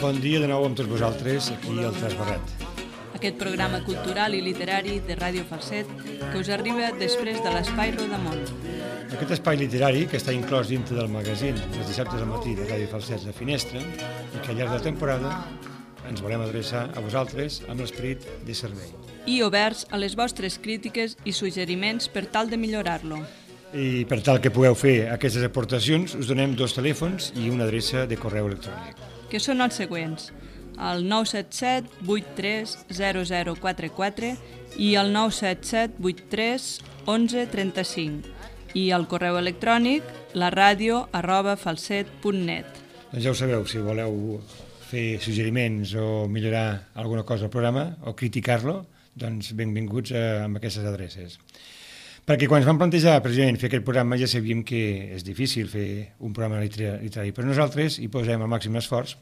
Bon dia de nou amb tots vosaltres, aquí al Trasbarret. Aquest programa cultural i literari de Ràdio Falset que us arriba després de l'Espai Rodamont. Aquest espai literari, que està inclòs dintre del magazín els dissabtes al matí de Ràdio Falset La Finestra, i que al llarg de la temporada ens volem adreçar a vosaltres amb l'esperit de servei. I oberts a les vostres crítiques i suggeriments per tal de millorar-lo. I per tal que pugueu fer aquestes aportacions, us donem 2 telèfons i una adreça de correu electrònic. Que són els següents: el 977 83 0044 i el 977 83 11 35 i el correu electrònic laradio@falset.net. Doncs ja ho sabeu, si voleu fer suggeriments o millorar alguna cosa al programa o criticar-lo, doncs benvinguts amb aquestes adreces. Perquè quan ens vam plantejar precisament fer aquest programa ja sabíem que és difícil fer un programa literari, però nosaltres hi posem el màxim esforç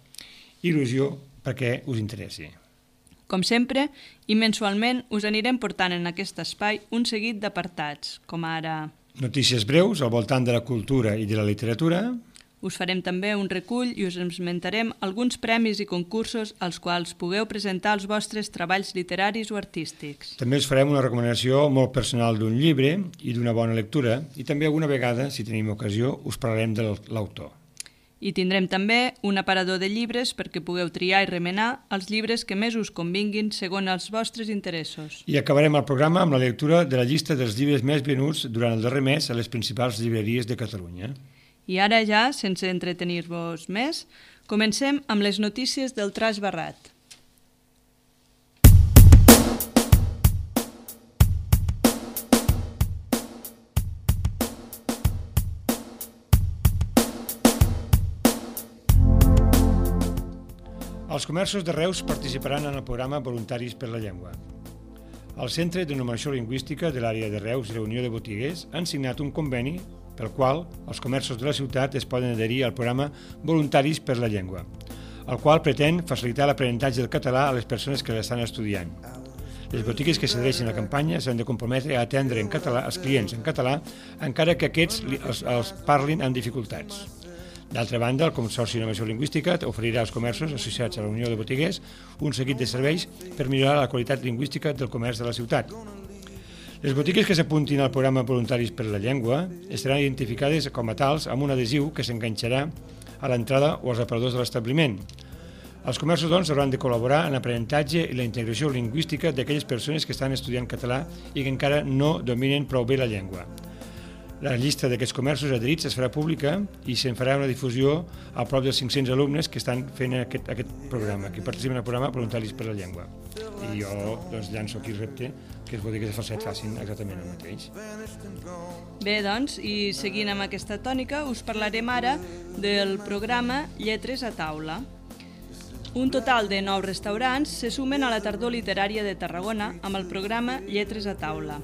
i il·lusió perquè us interessi. Com sempre, i mensualment us anirem portant en aquest espai un seguit d'apartats, com ara notícies breus al voltant de la cultura i de la literatura. Us farem també un recull i us esmentarem alguns premis i concursos als quals pugueu presentar els vostres treballs literaris o artístics. També us farem una recomanació molt personal d'un llibre i d'una bona lectura i també alguna vegada, si tenim ocasió, us parlarem de l'autor. I tindrem també un aparador de llibres perquè pugueu triar i remenar els llibres que més us convinguin segons els vostres interessos. I acabarem el programa amb la lectura de la llista dels llibres més venuts durant el darrer mes a les principals llibreries de Catalunya. I ara ja, sense entretenir-vos més, comencem amb les notícies del Trasbarret. Els comerços de Reus participaran en el programa Voluntaris per la Llengua. El Centre de Normació Lingüística de l'àrea de Reus i la Unió de Botiguers han signat un conveni pel qual els comerços de la ciutat es poden adherir al programa Voluntaris per la Llengua, el qual pretén facilitar l'aprenentatge del català a les persones que l'estan estudiant. Les botigues que s'adhereixen a la campanya s'han de comprometre a atendre en català els clients en català, encara que aquests els parlin amb dificultats. D'altra banda, el Consorci de Normació Lingüística oferirà als comerços associats a la Unió de Botiguers un seguit de serveis per millorar la qualitat lingüística del comerç de la ciutat. Les botigues que s'apuntin al programa Voluntaris per la Llengua estaran identificades com a tals amb un adhesiu que s'enganxarà a l'entrada o als aparadors de l'establiment. Els comerços, doncs, hauran de col·laborar en l'aprenentatge i la integració lingüística d'aquelles persones que estan estudiant català i que encara no dominen prou bé la llengua. La llista d'aquests comerços adherits es farà pública i se'n farà una difusió a prop dels 500 alumnes que estan fent aquest programa, que participen al programa Voluntaris per la Llengua. I jo llanço aquí el repte que les botigues de Falset facin exactament el mateix. Bé, doncs, i seguint amb aquesta tònica, us parlarem ara del programa Lletres a taula. Un total de 9 restaurants se sumen a la tardor literària de Tarragona amb el programa Lletres a taula.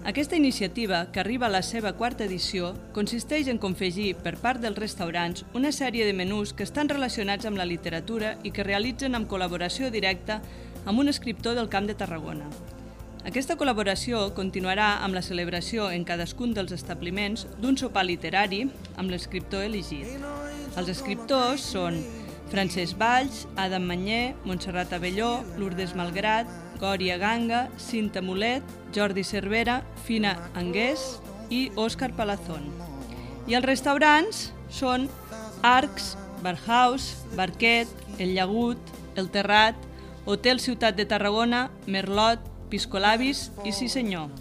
Aquesta iniciativa, que arriba a la seva 4ª edició, consisteix en confegir per part dels restaurants una sèrie de menús que estan relacionats amb la literatura i que realitzen amb col·laboració directa amb un escriptor del Camp de Tarragona. Aquesta col·laboració continuarà amb la celebració en cadascun dels establiments d'un sopar literari amb l'escriptor elegit. Els escriptors són Francesc Valls, Adam Manyer, Montserrat Abelló, Lourdes Malgrat, Gòria Ganga, Cinta Mulet, Jordi Cervera, Fina Angués i Òscar Palazón. I els restaurants són Arcs, Barhaus, Barquet, El Llagut, El Terrat, Hotel Ciutat de Tarragona, Merlot, Piscolabis i Sí Senyor.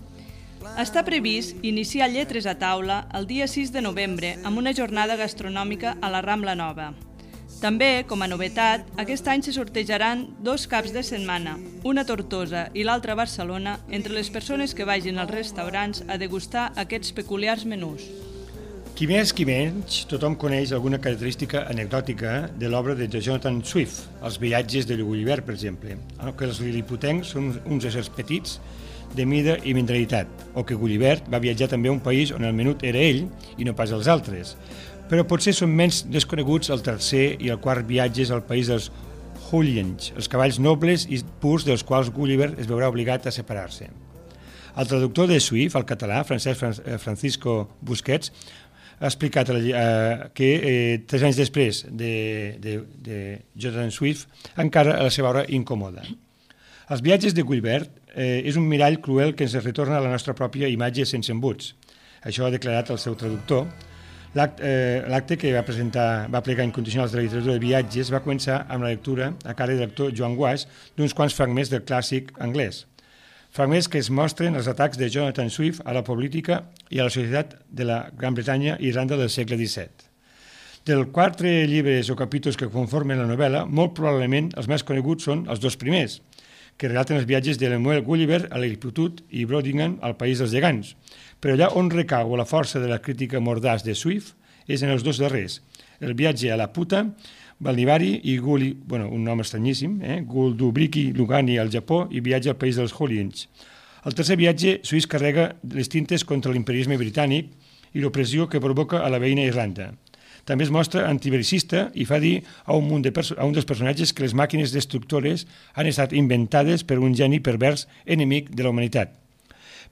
Està previst iniciar Lletres a taula el dia 6 de novembre amb una jornada gastronòmica a la Rambla Nova. També, com a novetat, aquest any se sortejaran 2 caps de setmana, una a Tortosa i l'altra a Barcelona, entre les persones que vagin als restaurants a degustar aquests peculiars menús. Qui més, qui menys, tothom coneix alguna característica anecdòtica de l'obra de Jonathan Swift, Els viatges de Gulliver, per exemple, que els liliputencs són uns éssers petits de mida i mentalitat, o que Gulliver va viatjar també a un país on el menut era ell i no pas els altres. Però potser són menys desconeguts el tercer i el quart viatges al país dels Huliens, els cavalls nobles i purs dels quals Gulliver es veurà obligat a separar-se. El traductor de Swift al català, Francisco Busquets, ha explicat que 3 anys després de Jonathan Swift encara la seva obra incomoda. Els viatges de Gulliver és un mirall cruel que ens retorna a la nostra pròpia imatge sense embuts. Això ha declarat el seu traductor. L'acte que va plegar incondicionals de la literatura de viatges va començar amb la lectura a càrrec del lector Joan Guas d'uns quants fragments del clàssic anglès. Fragments que es mostren els atacs de Jonathan Swift a la política i a la societat de la Gran Bretanya i Irlanda del segle XVII. Dels 4 llibres o capítols que conformen la novel·la, molt probablement els més coneguts són els 2 primers, que relaten els viatges de Lemuel Gulliver a Lilliput i Brodigan al País dels Gegants. Però allà on recau la força de la crítica mordaç de Swift és en els 2 darrers, el viatge a la puta, Balnivari i un nom estranyíssim, Guldubriki Lugani al Japó i viatge al país dels Huliens. El tercer viatge, Swift carrega les tintes contra l'imperialisme britànic i l'opressió que provoca a la veïna Irlanda. També es mostra antibelicista i fa dir a un dels personatges que les màquines destructores han estat inventades per un geni pervers enemic de la humanitat.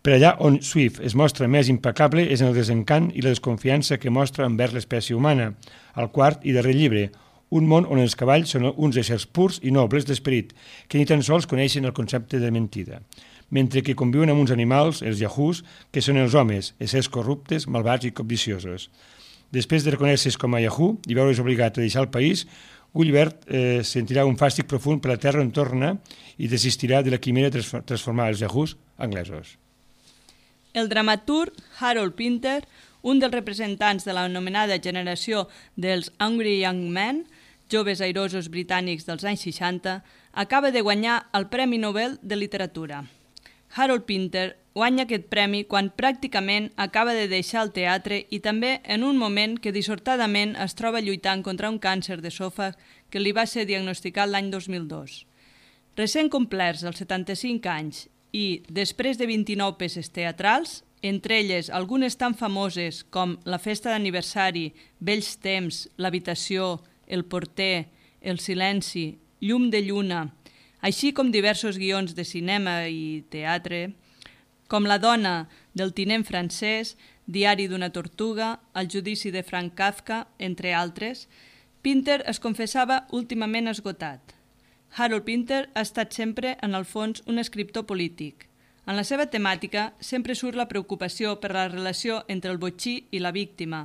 Per allà on Swift es mostra més impecable és en el desencant i la desconfiança que mostra envers l'espècie humana, al quart i darrer llibre, un món on els cavalls són uns éssers purs i nobles d'esperit, que ni tan sols coneixen el concepte de mentida, mentre que conviuen amb uns animals, els yahoos, que són els homes, éssers corruptes, malvats i cobdiciosos. Després de reconèixer-se com a yahoo i veure's obligat a deixar el país, Gulliver sentirà un fàstic profund per la terra on torna i desistirà de la quimera de transformar els yahoos anglesos. El dramaturg Harold Pinter, un dels representants de l'anomenada generació dels Angry Young Men, joves airosos britànics dels anys 60, acaba de guanyar el Premi Nobel de Literatura. Harold Pinter guanya aquest premi quan pràcticament acaba de deixar el teatre i també en un moment que dissortadament es troba lluitant contra un càncer d'esòfag que li va ser diagnosticat l'any 2002. Recent complerts els 75 anys i després de 29 peces teatrals, entre elles algunes tan famoses com La festa d'aniversari, Vells temps, L'habitació, El porter, El silenci, Llum de lluna, així com diversos guions de cinema i teatre, com La dona del tinent francès, Diari d'una tortuga, El judici de Frank Kafka, entre altres, Pinter es confessava últimament esgotat. Harold Pinter ha estat sempre, en el fons, un escriptor polític. En la seva temàtica sempre surt la preocupació per la relació entre el botxí i la víctima,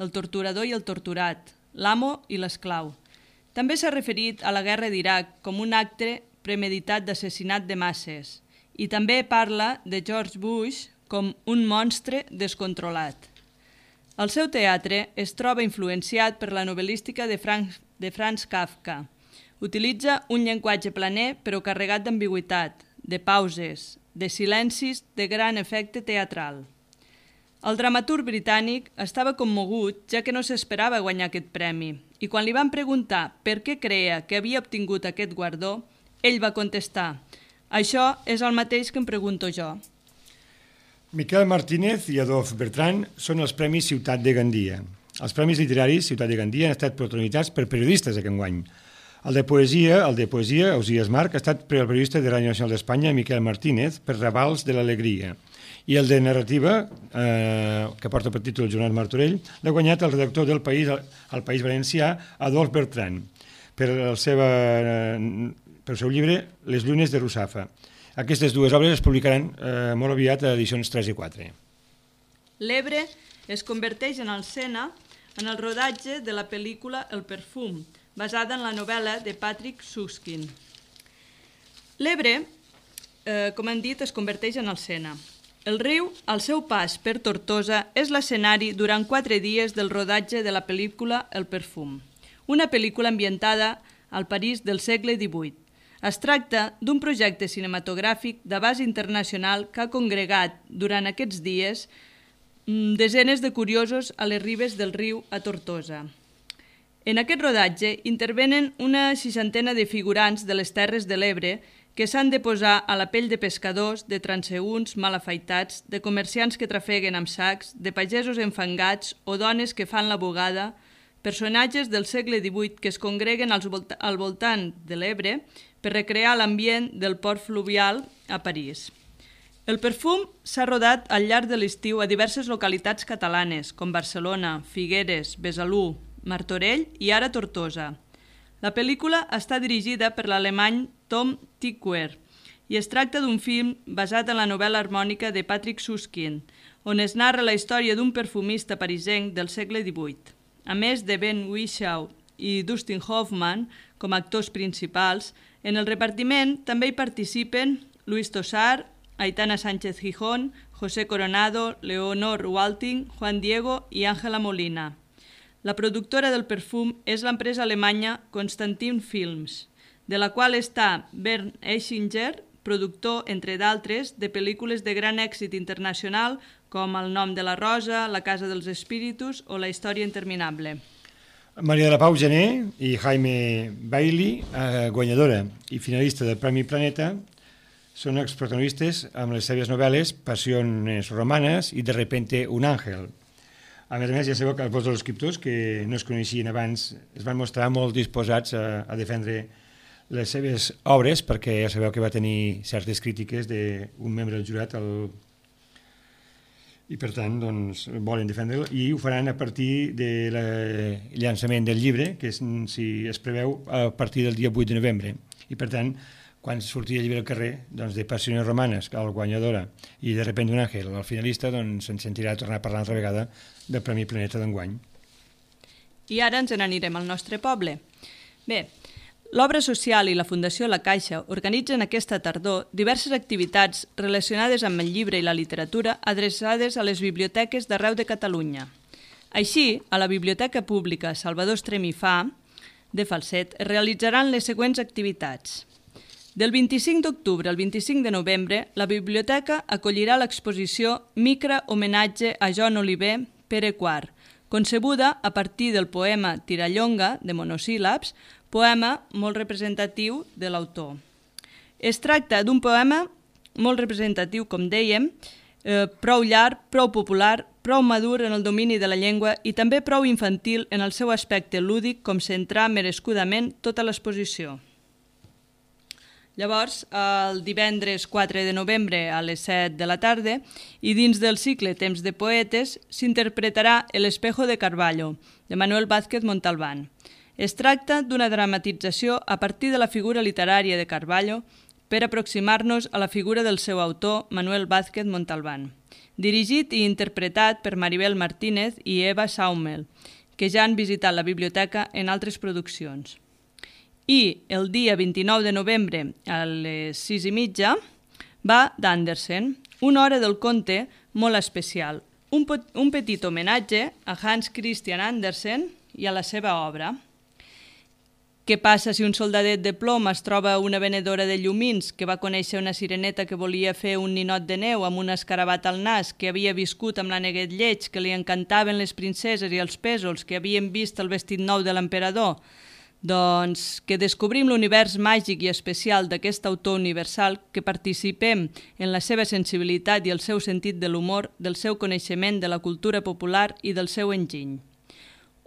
el torturador i el torturat, l'amo i l'esclau. També s'ha referit a la guerra d'Iraq com un acte premeditat d'assassinat de masses i també parla de George Bush com un monstre descontrolat. El seu teatre es troba influenciat per la novel·lística de Franz Kafka. Utilitza un llenguatge planer però carregat d'ambigüitat, de pauses, de silencis de gran efecte teatral. El dramaturg britànic estava commogut ja que no s'esperava guanyar aquest premi i quan li van preguntar per què creia que havia obtingut aquest guardó, ell va contestar: «Això és el mateix que em pregunto jo». Miquel Martínez i Adolf Bertran són els Premis Ciutat de Gandia. Els Premis Literaris Ciutat de Gandia han estat protagonitzats per periodistes aquest any. El de poesia, Ausias Marc, ha estat per al periodista de Ràdio Nacional d'Espanya, Miquel Martínez, per Ravals de l'Alegria. I el de narrativa, que porta per títol Joan Martorell, l'ha guanyat el redactor del País, al País Valencià, Adolf Bertran, per el seu llibre Les llunes de Russafa. Aquestes dues obres es publicaran molt aviat a edicions 3 i 4. L'Ebre es converteix en el Sena en el rodatge de la pel·lícula El perfum, basada en la novel·la de Patrick Süskind. L'Ebre, com hem dit, es converteix en el Sena. El riu, al seu pas per Tortosa, és l'escenari durant 4 dies del rodatge de la pel·lícula El perfum, una pel·lícula ambientada al París del segle XVIII. Es tracta d'un projecte cinematogràfic d'abast internacional que ha congregat durant aquests dies desenes de curiosos a les ribes del riu a Tortosa. En aquest rodatge intervenen una 60 de figurants de les Terres de l'Ebre que s'han de posar a la pell de pescadors, de transeünts mal afaitats, de comerciants que trafeguen amb sacs, de pagesos enfangats o dones que fan la bugada, personatges del segle XVIII que es congreguen al voltant de l'Ebre per recrear l'ambient del port fluvial a París. El perfum s'ha rodat al llarg de l'estiu a diverses localitats catalanes, com Barcelona, Figueres, Besalú, Martorell i ara Tortosa. La pel·lícula està dirigida per l'alemany Tom Tykwer i es tracta d'un film basat en la novel·la harmònica de Patrick Süskind, on es narra la història d'un perfumista parisenc del segle XVIII. A més de Ben Whishaw i Dustin Hoffman com a actors principals, en el repartiment també hi participen Luis Tosar, Aitana Sánchez Gijón, José Coronado, Leonor Walting, Juan Diego i Ángela Molina. La productora del perfum és l'empresa alemanya Constantin Films, de la qual està Bernd Eichinger, productor, entre d'altres, de pel·lícules de gran èxit internacional com El nom de la rosa, La casa dels espíritus o La història interminable. Maria de la Pau Gené i Jaime Bailey, guanyadora i finalista del Premi Planeta, són exprotagonistes amb les seves novel·les Passiones romanes i De repente un àngel. A més, ja sabeu que els dos escriptors que no es coneixien abans es van mostrar molt disposats a defendre les seves obres, perquè ja sabeu que va tenir certes crítiques d'un membre del jurat i per tant volen defendre'l i ho faran a partir del llançament del llibre, que es preveu a partir del dia 8 de novembre. I per tant, quan surti el llibre al carrer, de Passiones romanes, el guanyadora, i De repente un àngel, el finalista, se'n sentirà tornar a parlar altra vegada del Premi Planeta d'enguany. I ara ens n'anirem al nostre poble. Bé, l'Obra Social i la Fundació La Caixa organitzen aquesta tardor diverses activitats relacionades amb el llibre i la literatura adreçades a les biblioteques d'arreu de Catalunya. Així, a la Biblioteca Pública Salvador Estrem i Fa de Falset es realitzaran les següents activitats. Del 25 d'octubre al 25 de novembre, la biblioteca acollirà l'exposició Micra homenatge a Joan Oliver, Pere IV, concebuda a partir del poema Tirallonga, de monosíl·labs, poema molt representatiu de l'autor. Es tracta d'un poema molt representatiu, com dèiem, prou llarg, prou popular, prou madur en el domini de la llengua i també prou infantil en el seu aspecte lúdic com centrar merescudament tota l'exposició. Llavors, el divendres 4 de novembre a les 7 de la tarda i dins del cicle Temps de Poetes s'interpretarà El espejo de Carballo, de Manuel Vázquez Montalbán. Es tracta d'una dramatització a partir de la figura literària de Carballo per aproximar-nos a la figura del seu autor, Manuel Vázquez Montalbán. Dirigit i interpretat per Maribel Martínez i Eva Saumel, que ja han visitat la biblioteca en altres produccions. I el dia 29 de novembre a les 6:30 va d'Andersen, una hora del conte molt especial, un petit homenatge a Hans Christian Andersen i a la seva obra. Què passa si un soldadet de plom es troba una venedora de llumins que va conèixer una sireneta que volia fer un ninot de neu amb un escarabat al nas, que havia viscut amb l'Aneguet Lleig, que li encantaven les princeses i els pèsols, que havien vist el vestit nou de l'emperador? Doncs que descobrim l'univers màgic i especial d'aquest autor universal, que participem en la seva sensibilitat i el seu sentit de l'humor, del seu coneixement de la cultura popular i del seu enginy.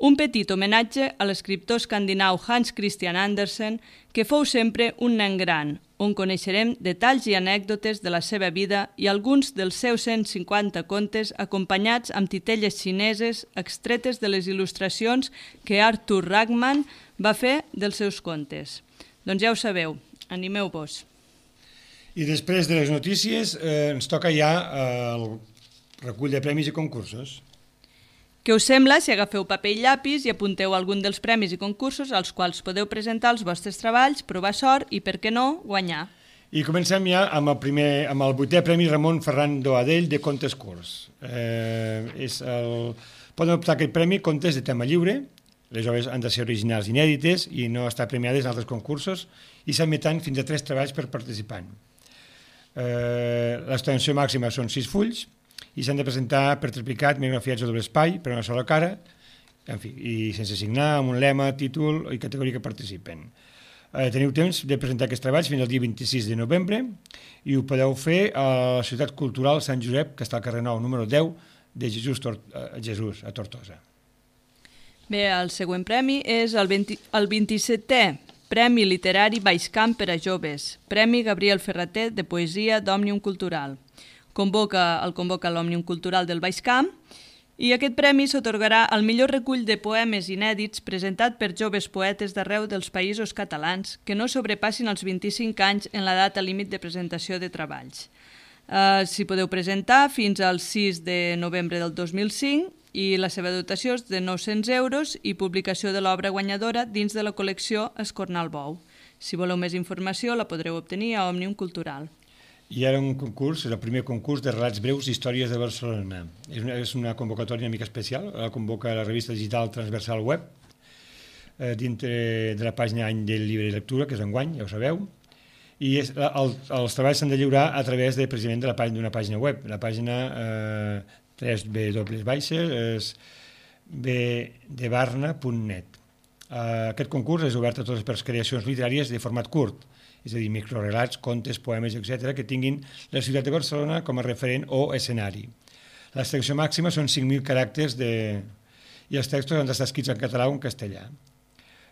Un petit homenatge a l'escriptor escandinau Hans Christian Andersen, que fou sempre un nen gran, on coneixerem detalls i anècdotes de la seva vida i alguns dels seus 150 contes acompanyats amb titelles xineses extretes de les il·lustracions que Arthur Ragman va fer dels seus contes. Doncs ja ho sabeu, animeu-vos. I després de les notícies ens toca ja el recull de premis i concursos. Què us sembla si agafeu paper i llapis i apunteu algun dels premis i concursos als quals podeu presentar els vostres treballs, provar sort i, per què no, guanyar? I comencem ja amb el 8è Premi Ramon Ferran Doadell de Contes Curts. Poden optar a aquest premi contes de tema lliure Les obres han de ser originals i inèdites i no estar premiades en altres concursos i s'admeten fins a 3 treballs per participant. L'extensió màxima són 6 fulls i s'han de presentar per triplicat, megagrafiats a doble espai, per una sola cara, en fi, i sense signar, amb un lema, títol i categoria que participen. Teniu temps de presentar aquests treballs fins al dia 26 de novembre i ho podeu fer a la Ciutat Cultural Sant Josep, que està al carrer Nou, número 10, de Jesús, a Tortosa. Bé, el següent premi és el 27è Premi Literari Baixcamp per a Joves, Premi Gabriel Ferrater de Poesia d'Òmnium Cultural. El convoca l'Òmnium Cultural del Baixcamp i aquest premi s'atorgarà al millor recull de poemes inèdits presentat per joves poetes d'arreu dels països catalans que no sobrepassin els 25 anys en la data límit de presentació de treballs. S'hi podeu presentar fins al 6 de novembre del 2005 i la seva dotació és de 900 euros i publicació de l'obra guanyadora dins de la col·lecció Escornar el Bou. Si voleu més informació la podreu obtenir a Òmnium Cultural. I ara un concurs, és el primer concurs de relats breus d'històries de Barcelona. És una convocatòria una mica especial, la convoca la revista digital Transversal Web, dintre de la pàgina Any del Llibre i Lectura, que és enguany, ja ho sabeu, i els treballs s'han de lliurar a través precisament d'una pàgina web, la pàgina www.bdebarna.net. Aquest concurs és obert a totes les creacions literàries de format curt, és a dir, microrelats, contes, poemes, etc., que tinguin la ciutat de Barcelona com a referent o escenari. L'extensió màxima són 5.000 caràcters i els textos han d'estar escrits en català o en castellà.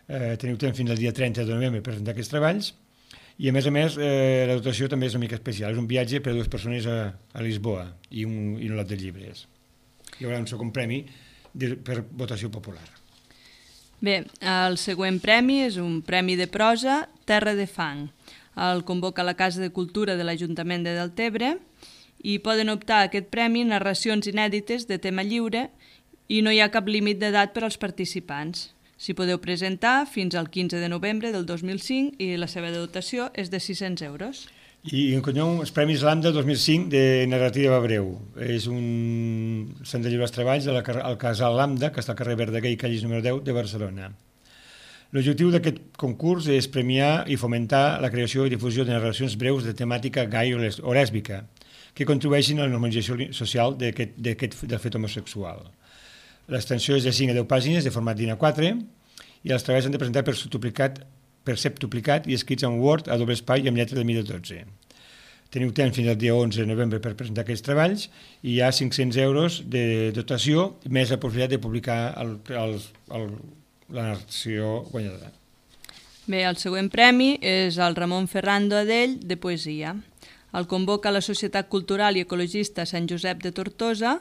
Teniu temps fins al dia 30 de novembre per presentar aquests treballs i, a més, la dotació també és una mica especial. És un viatge per a 2 persones a Lisboa i un lot de llibres. Hi haurà un segon premi per votació popular. Bé, el següent premi és un premi de prosa, Terra de Fang. El convoca la Casa de Cultura de l'Ajuntament de Deltebre i poden optar a aquest premi narracions inèdites de tema lliure i no hi ha cap límit d'edat per als participants. S'hi podeu presentar fins al 15 de novembre del 2005 i la seva dotació és de 600 euros. I els Premis Lambda 2005 de narrativa breu. S'han de lliurar els treballs al Casal Lambda, que està al carrer Verdaguer i Callis número 10 de Barcelona. L'objectiu d'aquest concurs és premiar i fomentar la creació i difusió de narracions breus de temàtica gai o lèsbica, que contribueixin a la normalització social del fet homosexual. L'extensió és de 5 a 10 pàgines de format DIN A4 i els treballs s'han de presentar per septuplicat i escrits en Word a doble espai i amb lletra de mida 12. Teniu temps fins al dia 11 de novembre per presentar aquests treballs i hi ha 500 euros de dotació més la possibilitat de publicar la narració guanyadora. Bé, el següent premi és el Ramon Ferrando Adell de Poesia. El convoca la Societat Cultural i Ecologista Sant Josep de Tortosa.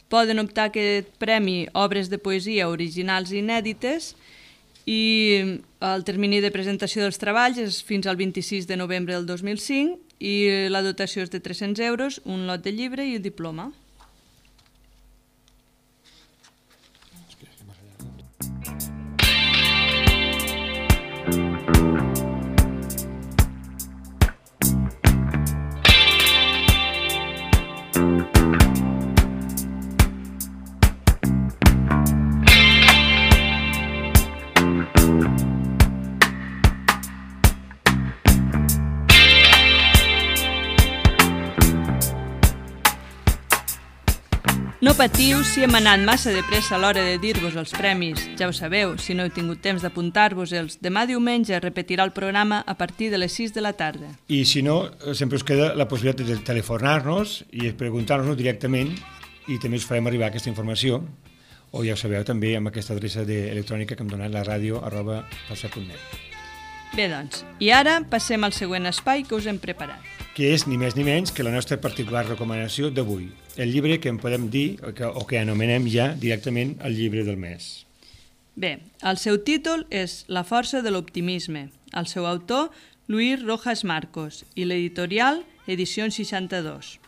Poden optar a aquest premi obres de poesia originals i inèdites i el termini de presentació dels treballs és fins al 26 de novembre del 2005 i la dotació és de 300 euros, un lot de llibre i un diploma. No patiu si hem anat massa de pressa a l'hora de dir-vos els premis. Ja ho sabeu, si no heu tingut temps d'apuntar-vos-els, demà diumenge repetirà el programa a partir de les 6 de la tarda. I si no, sempre us queda la possibilitat de telefonar-nos i preguntar-nos directament i també us farem arribar aquesta informació, o ja ho sabeu també amb aquesta adreça electrònica que hem donat, la radio@falset.net. Bé, doncs, i ara passem al següent espai que us hem preparat. Que és ni més ni menys que la nostra particular recomanació d'avui, el llibre que en podem dir o que anomenem ja directament el llibre del mes. Bé, el seu títol és La força de l'optimisme. El seu autor, Luis Rojas Marcos, i l'editorial Edicions 62.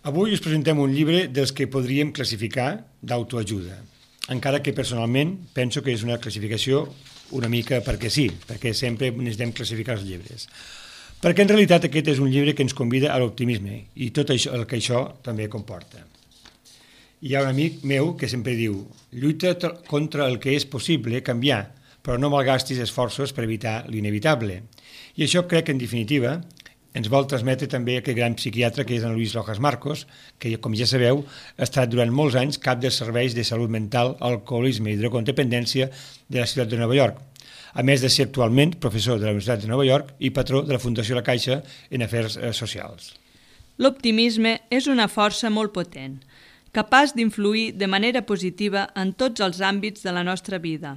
Avui us presentem un llibre dels que podríem classificar d'autoajuda, encara que personalment penso que és una classificació una mica perquè sí, perquè sempre necessitem classificar els llibres. Perquè en realitat aquest és un llibre que ens convida a l'optimisme i tot això, el que això també comporta. Hi ha un amic meu que sempre diu: lluita contra el que és possible canviar, però no malgastis esforços per evitar l'inevitable. I això crec que, en definitiva, ens vol transmetre també aquest gran psiquiatre que és en Luis Rojas Marcos, que, com ja sabeu, ha estat durant molts anys cap dels serveis de salut mental, alcoholisme i drogodependència de la ciutat de Nova York, a més de ser actualment professor de la Universitat de Nova York i patró de la Fundació La Caixa en afers socials. L'optimisme és una força molt potent, capaç d'influir de manera positiva en tots els àmbits de la nostra vida.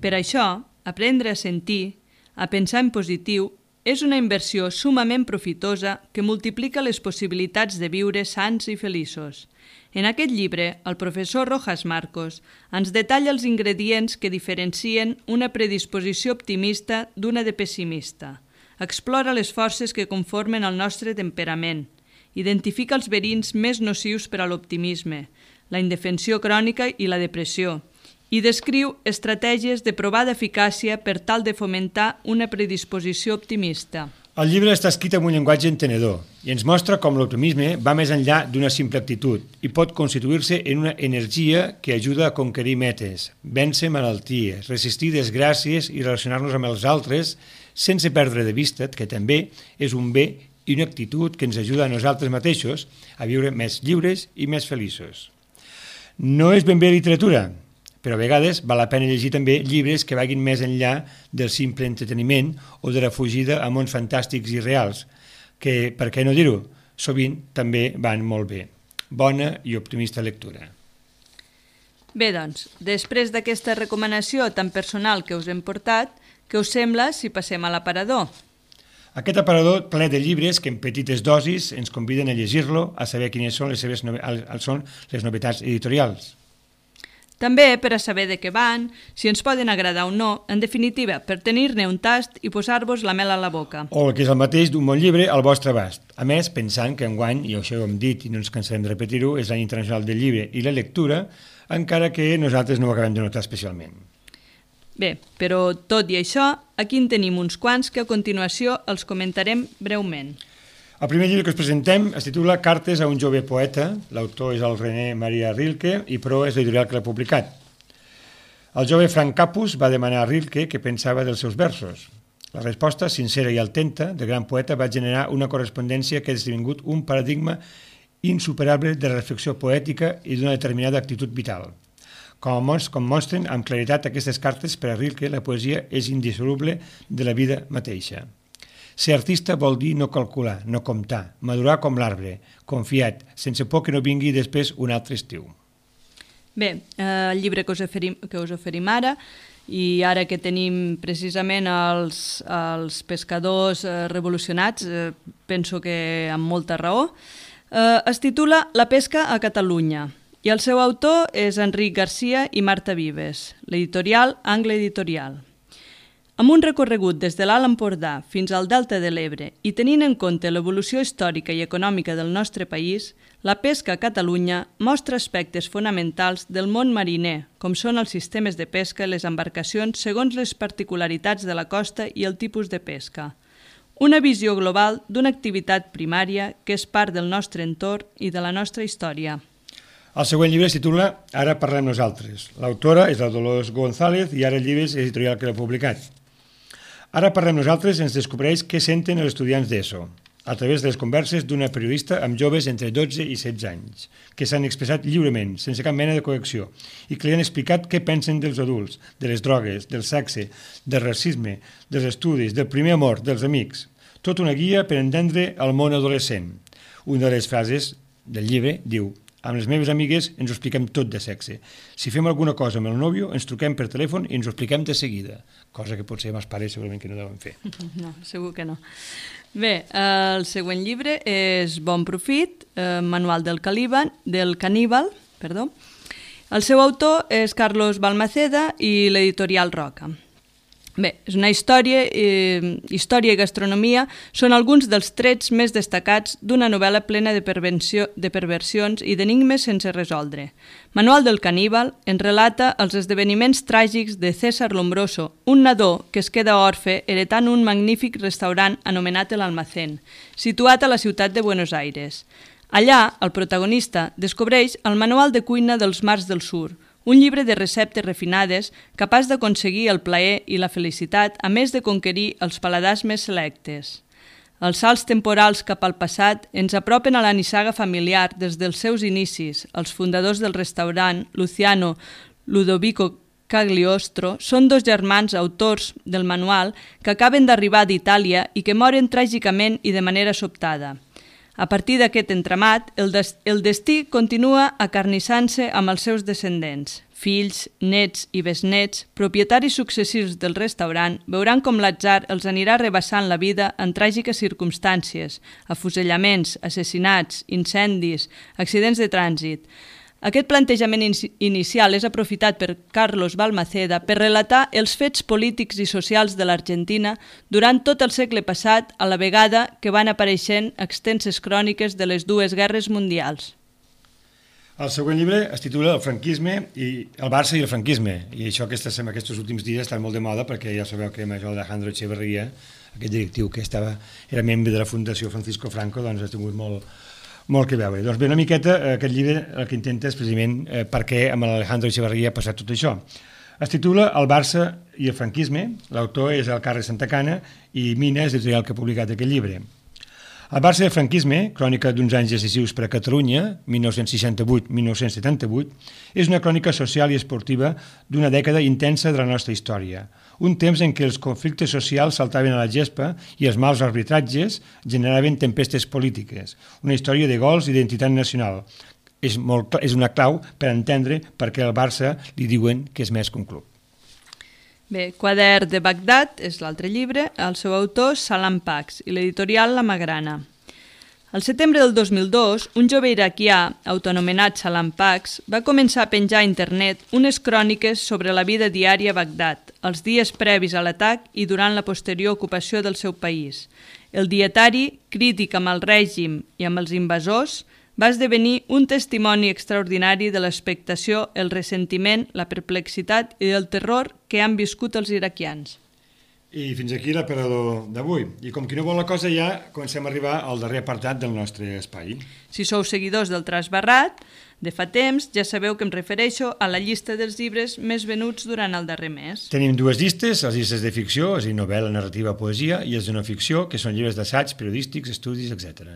Per això, aprendre a sentir, a pensar en positiu, és una inversió sumament profitosa que multiplica les possibilitats de viure sants i feliços. En aquest llibre, el professor Rojas Marcos ens detalla els ingredients que diferencien una predisposició optimista d'una de pessimista. Explora les forces que conformen el nostre temperament. Identifica els verins més nocius per a l'optimisme, la indefensió crònica i la depressió, i descriu estratègies de provada eficàcia per tal de fomentar una predisposició optimista. El llibre està escrit amb un llenguatge entenedor i ens mostra com l'optimisme va més enllà d'una simple actitud i pot constituir-se en una energia que ajuda a conquerir metes, vèncer malalties, resistir desgràcies i relacionar-nos amb els altres sense perdre de vista que també és un bé i una actitud que ens ajuda a nosaltres mateixos a viure més lliures i més feliços. No és ben bé literatura, però a vegades val la pena llegir també llibres que vagin més enllà del simple entreteniment o de la fugida a mons fantàstics i reals, que, per què no dir-ho, sovint també van molt bé. Bona i optimista lectura. Bé, doncs, després d'aquesta recomanació tan personal que us hem portat, què us sembla si passem a l'aparador? Aquest aparador ple de llibres que en petites dosis ens conviden a llegir-lo, a saber quines són les novetats editorials. També per a saber de què van, si ens poden agradar o no, en definitiva, per tenir-ne un tast i posar-vos la mel a la boca. O el que és el mateix d'un bon llibre al vostre abast. A més, pensant que enguany, i això ho hem dit i no ens cansarem de repetir-ho, és l'any internacional del llibre i la lectura, encara que nosaltres no ho acabem de notar especialment. Bé, però tot i això, aquí en tenim uns quants que a continuació els comentarem breument. El primer llibre que us presentem es titula Cartes a un jove poeta. L'autor és el René Maria Rilke i Pro és l'editorial que l'ha publicat. El jove Frank Capus va demanar a Rilke què pensava dels seus versos. La resposta, sincera i atenta, del gran poeta va generar una correspondència que ha esdevingut un paradigma insuperable de la reflexió poètica i d'una determinada actitud vital. Com mostren amb claritat aquestes cartes, per a Rilke la poesia és indissoluble de la vida mateixa. Ser artista vol dir no calcular, no comptar, madurar com l'arbre, confiat, sense por que no vingui després un altre estiu. Bé, el llibre que us oferim ara, i ara que tenim precisament els pescadors revolucionats, penso que amb molta raó, es titula La pesca a Catalunya, i el seu autor és Enric Garcia i Marta Vives, l'editorial Angle Editorial. Amb un recorregut des de l'Alt Empordà fins al Delta de l'Ebre i tenint en compte l'evolució històrica i econòmica del nostre país, la pesca a Catalunya mostra aspectes fonamentals del món mariner, com són els sistemes de pesca i les embarcacions segons les particularitats de la costa i el tipus de pesca. Una visió global d'una activitat primària que és part del nostre entorn i de la nostra història. El següent llibre es titula Ara parlem nosaltres. L'autora és la Dolors González i ara el llibre és l'editorial que l'ha publicat. Ara parlem nosaltres ens descobreix què senten els estudiants d'ESO, a través de les converses d'una periodista amb joves entre 12 i 16 anys, que s'han expressat lliurement, sense cap mena de coacció, i que li han explicat què pensen dels adults, de les drogues, del sexe, del racisme, dels estudis, del primer amor, dels amics. Tot una guia per entendre el món adolescent. Una de les frases del llibre diu: amb les meves amigues ens ho expliquem tot de sexe. Si fem alguna cosa amb el nòvio, ens truquem per telèfon i ens ho expliquem de seguida. Cosa que potser amb els pares segurament que no deuen fer. No, segur que no. Bé, el següent llibre és Bon Profit, Manual del caníbal. El seu autor és Carlos Balmaceda i l'editorial Roca. Bé, és una història i gastronomia són alguns dels trets més destacats d'una novel·la plena de perversions i d'enigmes sense resoldre. Manual del caníbal ens relata els esdeveniments tràgics de César Lombroso, un nadó que es queda orfe heretant un magnífic restaurant anomenat El Almacén, situat a la ciutat de Buenos Aires. Allà, el protagonista descobreix el manual de cuina dels mars del sur, un llibre de receptes refinades capaç d'aconseguir el plaer i la felicitat, a més de conquerir els paladars més selectes. Els salts temporals cap al passat ens apropen a la nissaga familiar des dels seus inicis. Els fundadors del restaurant, Luciano Ludovico Cagliostro, són dos germans autors del manual que acaben d'arribar d'Itàlia i que moren tràgicament i de manera sobtada. A partir d'aquest entramat, el destí continua acarnissant-se amb els seus descendents. Fills, nets i besnets, propietaris successius del restaurant, veuran com l'atzar els anirà rebassant la vida en tràgiques circumstàncies, afusellaments, assassinats, incendis, accidents de trànsit. Aquest plantejament inicial és aprofitat per Carlos Balmaceda per relatar els fets polítics i socials de l'Argentina durant tot el segle passat, a la vegada que van apareixent extenses cròniques de les dues guerres mundials. El següent llibre es titula El franquisme i el Barça i el franquisme, i això aquests últims dies està molt de moda perquè ja sabeu que Major Alejandro Echeverría, aquest directiu que era membre de la Fundació Francisco Franco, doncs ha tingut molt que veure. Doncs bé, una miqueta aquest llibre el que intenta és precisament per què amb l'Alejandro Echeverría ha passat tot això. Es titula El Barça i el franquisme, l'autor és el Carles Santacana i Mina és l'editorial que ha publicat aquest llibre. El Barça i el franquisme, crònica d'uns anys decisius per a Catalunya, 1968-1978, és una crònica social i esportiva d'una dècada intensa de la nostra història. Un temps en què els conflictes socials saltaven a la gespa i els mals arbitratges generaven tempestes polítiques. Una història de gols i d'identitat nacional. És una clau per entendre per què al Barça li diuen que és més que un club. Bé, Quadern de Bagdad és l'altre llibre, el seu autor Salam Pax i l'editorial La Magrana. Al setembre del 2002, un jove iraquià, autoanomenat Salam Pax, va començar a penjar a internet unes cròniques sobre la vida diària a Bagdad, els dies previs a l'atac i durant la posterior ocupació del seu país. El dietari, crític amb el règim i amb els invasors, va esdevenir un testimoni extraordinari de l'expectació, el ressentiment, la perplexitat i el terror que han viscut els iraquians. I fins aquí l'aparador d'avui. I com qui no vol la cosa ja comencem a arribar al darrer apartat del nostre espai. Si sou seguidors del Trasbarrat, de fa temps ja sabeu que em refereixo a la llista dels llibres més venuts durant el darrer mes. Tenim dues llistes, les llistes de ficció, és a dir, novel·la, narrativa, poesia, i els de no ficció, que són llibres d'assaig, periodístics, estudis, etc.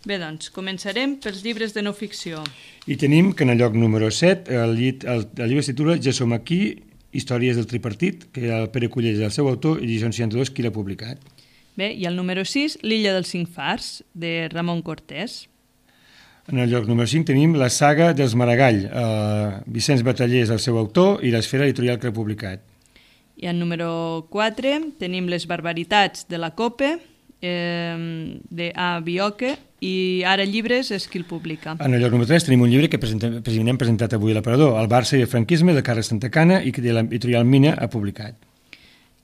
Bé, doncs, començarem pels llibres de no ficció. I tenim que en el lloc número 7 el llibre es titula Ja som aquí, històries del tripartit, que el Pere Cullell és el seu autor i Edicions 62 qui l'ha publicat. Bé, i el número 6, L'illa dels cinc fars, de Ramon Cortés. En el lloc número 5 tenim La saga dels Maragall, Vicenç Bataller és el seu autor i l'Esfera editorial que l'ha publicat. I en número 4 tenim Les barbaritats de la Cope, de A. Bioque, i Ara Llibres és qui el publica. En el lloc número 3 tenim un llibre que hem presentat avui a l'aparador, El Barça i el franquisme, de Carles Santacana, i que l'editorial Mina ha publicat.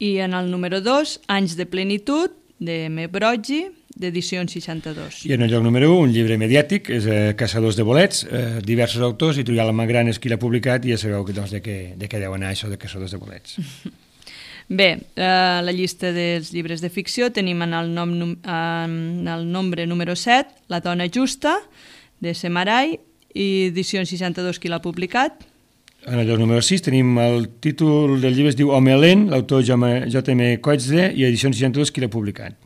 I en el número 2, Anys de plenitud, de M. Broggi, d'Edicions 62. I en el lloc número 1, un llibre mediàtic, és Caçadors de bolets, diversos autors, editorial Magrana és qui l'ha publicat, i ja sabeu doncs, de què deu anar això de Caçadors de bolets. Bé, la llista dels llibres de ficció tenim en el nombre número 7, La dona justa, de Semarai, i Edicions 62 qui l'ha publicat. En el lloc número 6 tenim el títol del llibre, es diu Home lent, l'autor J.M. Coetzee, i Edicions 62 qui l'ha publicat.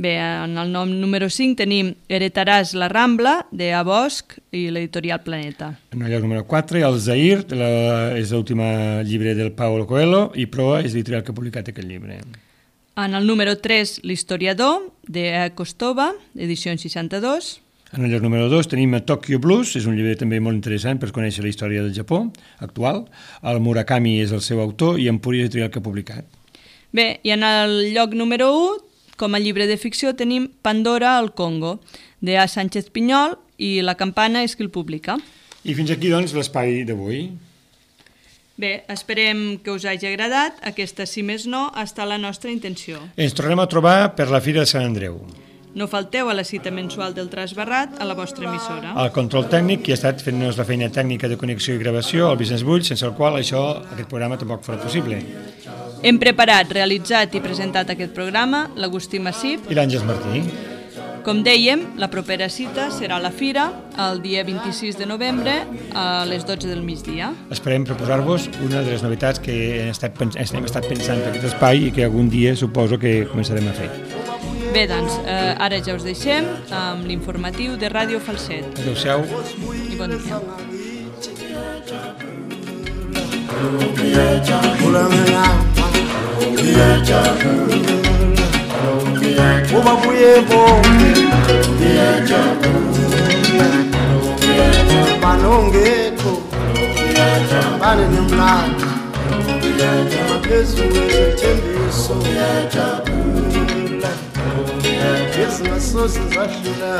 Bé, en el nom número 5 tenim Heretaràs la Rambla, de A. Bosch, i l'editorial Planeta. En el lloc número 4, El Zahir, és l'últim llibre del Paulo Coelho, i Proa és l'editorial que ha publicat aquest llibre. En el número 3, L'historiador, de A. Kostova, edicions 62. En el lloc número 2 tenim Tokyo Blues, és un llibre també molt interessant per conèixer la història del Japó actual. El Murakami és el seu autor i Empúria és l'editorial que ha publicat. Bé, i en el lloc número 1, com a llibre de ficció, tenim Pandora al Congo, de A. Sánchez Pinyol, i La campana és qui el publica. I fins aquí, doncs, l'espai d'avui. Bé, esperem que us hagi agradat. Aquesta, si més no, ha estat la nostra intenció. Ens tornem a trobar per la Fira de Sant Andreu. No falteu a la cita mensual del Trasbarrat a la vostra emissora. El control tècnic, qui ha estat fent-nos la feina tècnica de connexió i gravació, el Vicenç Bull, sense el qual aquest programa tampoc farà possible. Hem preparat, realitzat i presentat aquest programa l'Agustí Massip i l'Àngels Martí. Com dèiem, la propera cita serà a la Fira, el dia 26 de novembre, a les 12 del migdia. Esperem proposar-vos una de les novetats que hem estat pensant per aquest espai i que algun dia suposo que començarem a fer. Bé, doncs, ara ja us deixem amb l'informatiu de Ràdio Falset. Adéu-siau. I bon dia. Ubabuye bonke banongekho bane nemlando amaphezulu ezethembiso ezingasoze zahlula